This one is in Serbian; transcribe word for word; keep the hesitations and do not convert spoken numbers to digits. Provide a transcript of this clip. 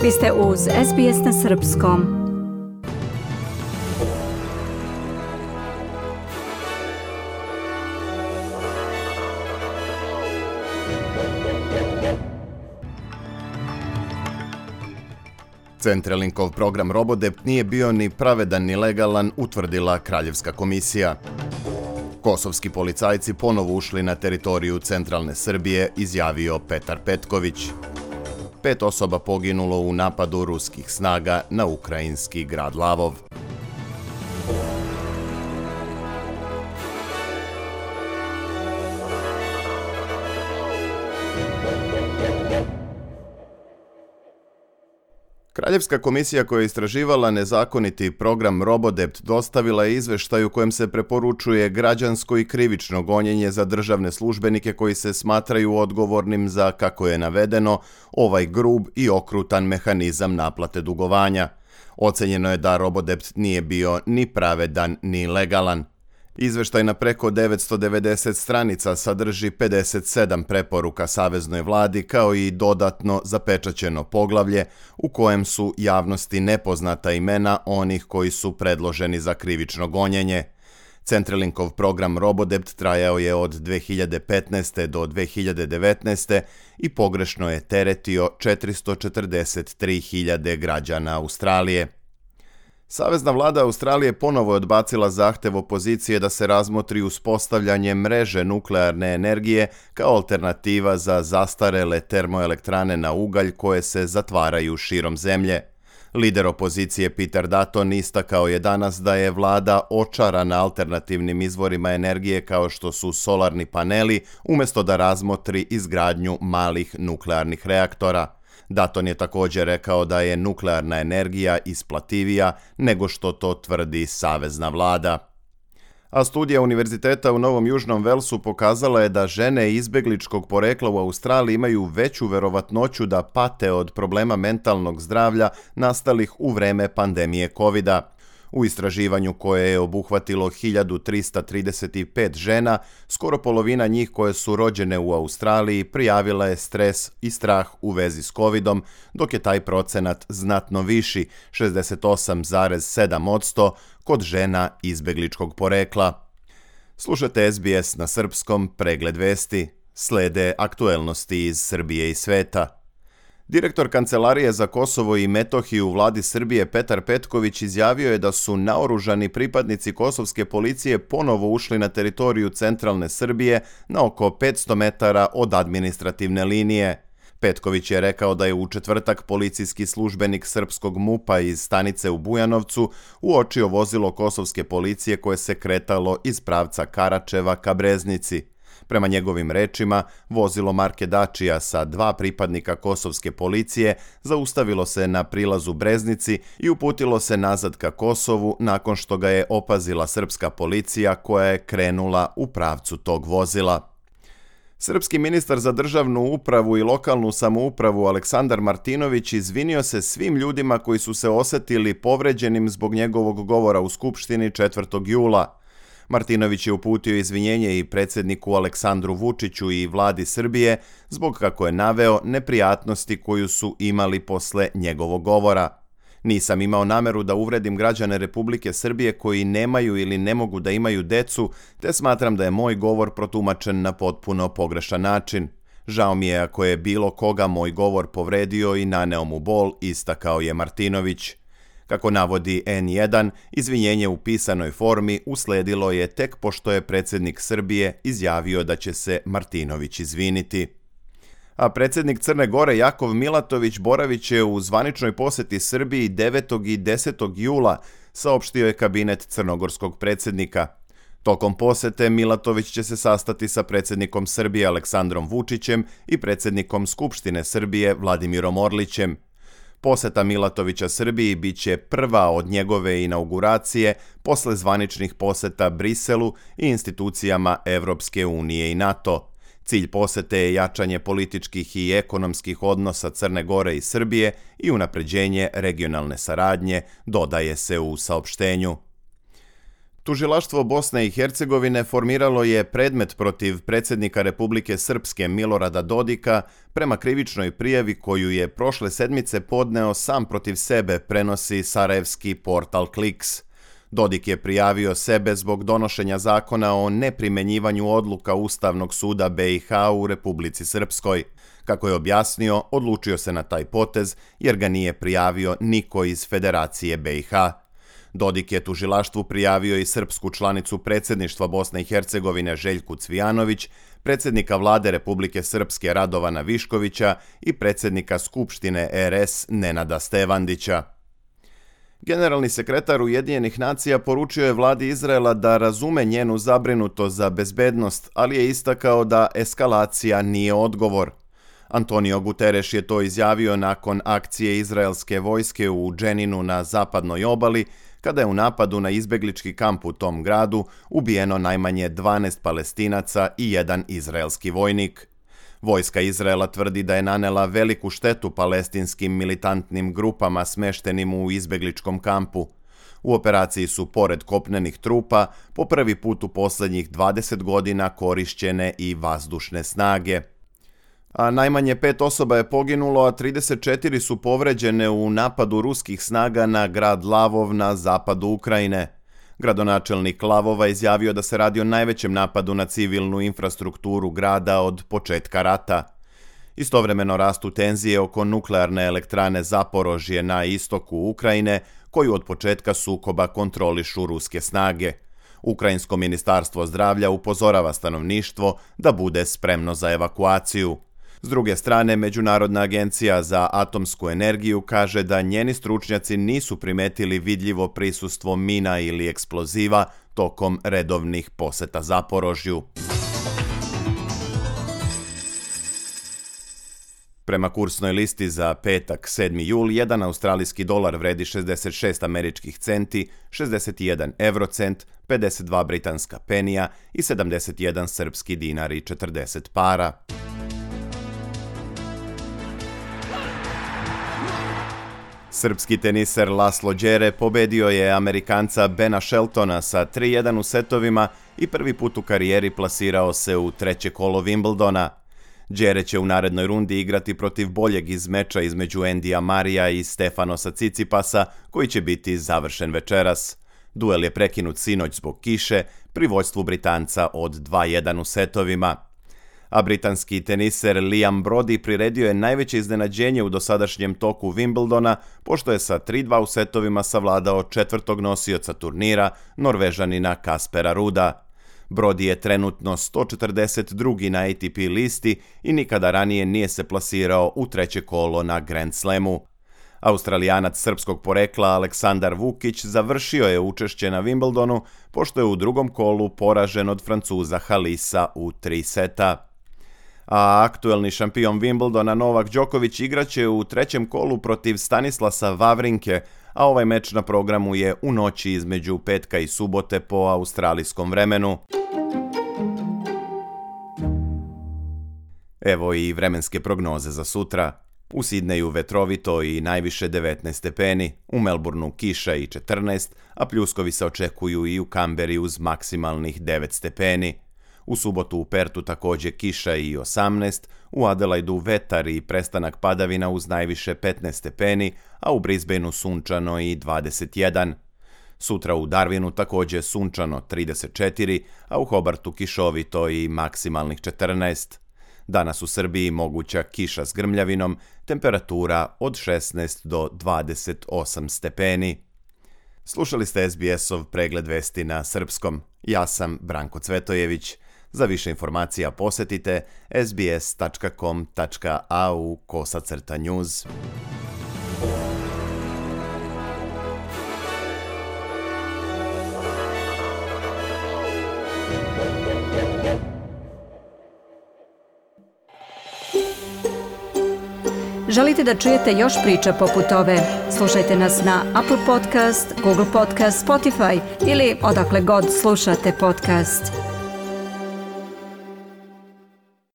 Vi ste uz S B S na srpskom. Centrelinkov program Robodept nije bio ni pravedan ni legalan, utvrdila Kraljevska komisija. Kosovski policajci ponovo ušli na teritoriju centralne Srbije, izjavio Petar Petković. Pet osoba poginulo u napadu ruskih snaga na ukrajinski grad Lavov. Kraljevska komisija koja je istraživala nezakoniti program Robodept dostavila je izveštaj u kojem se preporučuje građansko i krivično gonjenje za državne službenike koji se smatraju odgovornim za, kako je navedeno, ovaj grub i okrutan mehanizam naplate dugovanja. Ocenjeno je da Robodept nije bio ni pravedan ni legalan. Izveštaj na preko devetsto devedeset stranica sadrži pedeset sedam preporuka saveznoj vladi kao i dodatno zapečaćeno poglavlje u kojem su javnosti nepoznata imena onih koji su predloženi za krivično gonjenje. Centrelinkov program Robodept trajao je od dve hiljade petnaeste. do dve hiljade devetnaeste. i pogrešno je teretio četiristo četrdeset tri hiljade građana Australije. Savezna vlada Australije ponovo je odbacila zahtev opozicije da se razmotri uspostavljanje mreže nuklearne energije kao alternativa za zastarele termoelektrane na ugalj koje se zatvaraju širom zemlje. Lider opozicije Peter Dutton istakao je danas da je vlada očarana alternativnim izvorima energije kao što su solarni paneli, umjesto da razmotri izgradnju malih nuklearnih reaktora. Dutton je također rekao da je nuklearna energija isplativija nego što to tvrdi savezna vlada. A studija Univerziteta u Novom Južnom Velsu pokazala je da žene izbegličkog porekla u Australiji imaju veću verovatnoću da pate od problema mentalnog zdravlja nastalih u vreme pandemije kovida. U istraživanju koje je obuhvatilo hiljadu trista trideset pet žena, skoro polovina njih koje su rođene u Australiji prijavila je stres i strah u vezi s covidom, dok je taj procenat znatno viši, šezdeset osam zarez sedam posto, kod žena izbegličkog porekla. Slušate S B S na srpskom, pregled vesti. Slede aktuelnosti iz Srbije i sveta. Direktor Kancelarije za Kosovo i Metohiju u vladi Srbije Petar Petković izjavio je da su naoružani pripadnici kosovske policije ponovo ušli na teritoriju centralne Srbije na oko petsto metara od administrativne linije. Petković je rekao da je u četvrtak policijski službenik srpskog MUP-a iz stanice u Bujanovcu uočio vozilo kosovske policije koje se kretalo iz pravca Karačeva ka Breznici. Prema njegovim rečima, vozilo marke Dacia sa dva pripadnika kosovske policije zaustavilo se na prilazu Breznici i uputilo se nazad ka Kosovu nakon što ga je opazila srpska policija koja je krenula u pravcu tog vozila. Srpski ministar za državnu upravu i lokalnu samoupravu Aleksandar Martinović izvinio se svim ljudima koji su se osetili povređenim zbog njegovog govora u Skupštini četvrtog jula. Martinović je uputio izvinjenje i predsjedniku Aleksandru Vučiću i vladi Srbije zbog, kako je naveo, neprijatnosti koju su imali posle njegovog govora. Nisam imao nameru da uvredim građane Republike Srbije koji nemaju ili ne mogu da imaju decu, te smatram da je moj govor protumačen na potpuno pogrešan način. Žao mi je ako je bilo koga moj govor povredio i naneo mu bol, istakao je Martinović. Kako navodi N jedan, izvinjenje u pisanoj formi usledilo je tek pošto je predsjednik Srbije izjavio da će se Martinović izviniti. A predsjednik Crne Gore Jakov Milatović boravit će u zvaničnoj posjeti Srbiji devetog i desetog jula, saopštio je kabinet crnogorskog predsjednika. Tokom posjete Milatović će se sastati sa predsjednikom Srbije Aleksandrom Vučićem i predsjednikom Skupštine Srbije Vladimirom Orlićem. Posjeta Milatovića Srbiji bit će prva od njegove inauguracije posle zvaničnih posjeta Briselu i institucijama Evropske unije i NATO. Cilj posjete je jačanje političkih i ekonomskih odnosa Crne Gore i Srbije i unapređenje regionalne saradnje, dodaje se u saopštenju. Tužilaštvo Bosne i Hercegovine formiralo je predmet protiv predsjednika Republike Srpske Milorada Dodika prema krivičnoj prijavi koju je prošle sedmice podneo sam protiv sebe, prenosi sarajevski portal Kliks. Dodik je prijavio sebe zbog donošenja zakona o neprimenjivanju odluka Ustavnog suda be i ha u Republici Srpskoj. Kako je objasnio, odlučio se na taj potez jer ga nije prijavio niko iz Federacije be i ha. Dodik je tužilaštvu prijavio i srpsku članicu predsjedništva Bosne i Hercegovine Željku Cvijanović, predsjednika vlade Republike Srpske Radovana Viškovića i predsjednika Skupštine er es Nenada Stevandića. Generalni sekretar Ujedinjenih nacija poručio je vladi Izraela da razume njenu zabrinutost za bezbednost, ali je istakao da eskalacija nije odgovor. Antonio Guterres je to izjavio nakon akcije izraelske vojske u Dženinu na zapadnoj obali, kada je u napadu na izbeglički kamp u tom gradu ubijeno najmanje dvanaest Palestinaca i jedan izraelski vojnik. Vojska Izraela tvrdi da je nanela veliku štetu palestinskim militantnim grupama smeštenim u izbegličkom kampu. U operaciji su, pored kopnenih trupa, po prvi put u posljednjih dvadeset godina korišćene i vazdušne snage. A najmanje pet osoba je poginulo, a trideset četiri su povređene u napadu ruskih snaga na grad Lavov na zapadu Ukrajine. Gradonačelnik Lavova izjavio da se radi o najvećem napadu na civilnu infrastrukturu grada od početka rata. Istovremeno rastu tenzije oko nuklearne elektrane Zaporožje na istoku Ukrajine, koju od početka sukoba kontrolišu ruske snage. Ukrajinsko ministarstvo zdravlja upozorava stanovništvo da bude spremno za evakuaciju. S druge strane, Međunarodna agencija za atomsku energiju kaže da njeni stručnjaci nisu primetili vidljivo prisustvo mina ili eksploziva tokom redovnih poseta Zaporožju. Prema kursnoj listi za petak sedmi jul, jedan australijski dolar vredi šezdeset šest američkih centi, šezdeset jedan eurocent, pedeset dva britanska penija i sedamdeset jedan srpski dinar i četrdeset para. Srpski teniser Laslo Đere pobedio je Amerikanca Bena Sheltona sa tri jedan u setovima i prvi put u karijeri plasirao se u treće kolo Wimbledona. Đere će u narednoj rundi igrati protiv boljeg iz meča između Endija Marija i Stefanosa Cicipasa, koji će biti završen večeras. Duel je prekinut sinoć zbog kiše pri vođstvu Britanca od dva jedan u setovima. A britanski teniser Liam Brody priredio je najveće iznenađenje u dosadašnjem toku Wimbledona, pošto je sa tri dva u setovima savladao četvrtog nosioca turnira, Norvežanina Kaspera Ruda. Brody je trenutno sto četrdeset drugi na A T P listi i nikada ranije nije se plasirao u treće kolo na Grand Slamu. Australijanac srpskog porekla Aleksandar Vukić završio je učešće na Wimbledonu, pošto je u drugom kolu poražen od Francuza Halisa u tri seta. A aktuelni šampion Wimbledona Novak Đoković igraće u trećem kolu protiv Stanislasa Wawrinke, a ovaj meč na programu je u noći između petka i subote po australijskom vremenu. Evo i vremenske prognoze za sutra. U Sidneju vetrovito i najviše devetnaest stepeni, u Melbourneu kiša i četrnaest, a pljuskovi se očekuju i u Kamberi uz maksimalnih devet stepeni. U subotu u Pertu također kiša i osamnaest, u Adelaidu vetar i prestanak padavina uz najviše petnaest stepeni, a u Brisbaneu sunčano i dvadeset jedan. Sutra u Darwinu također sunčano trideset četiri, a u Hobartu kišovito i maksimalnih četrnaest. Danas u Srbiji moguća kiša s grmljavinom, temperatura od šesnaest do dvadeset osam stepeni. Slušali ste es be es-ov pregled vesti na srpskom. Ja sam Branko Cvetojević. Za više informacija posjetite es be es tačka com tačka a u kosacrta news. Želite da čujete još priča poput ove? Slušajte nas na Apple Podcast, Google Podcast, Spotify ili odakle god slušate podcast.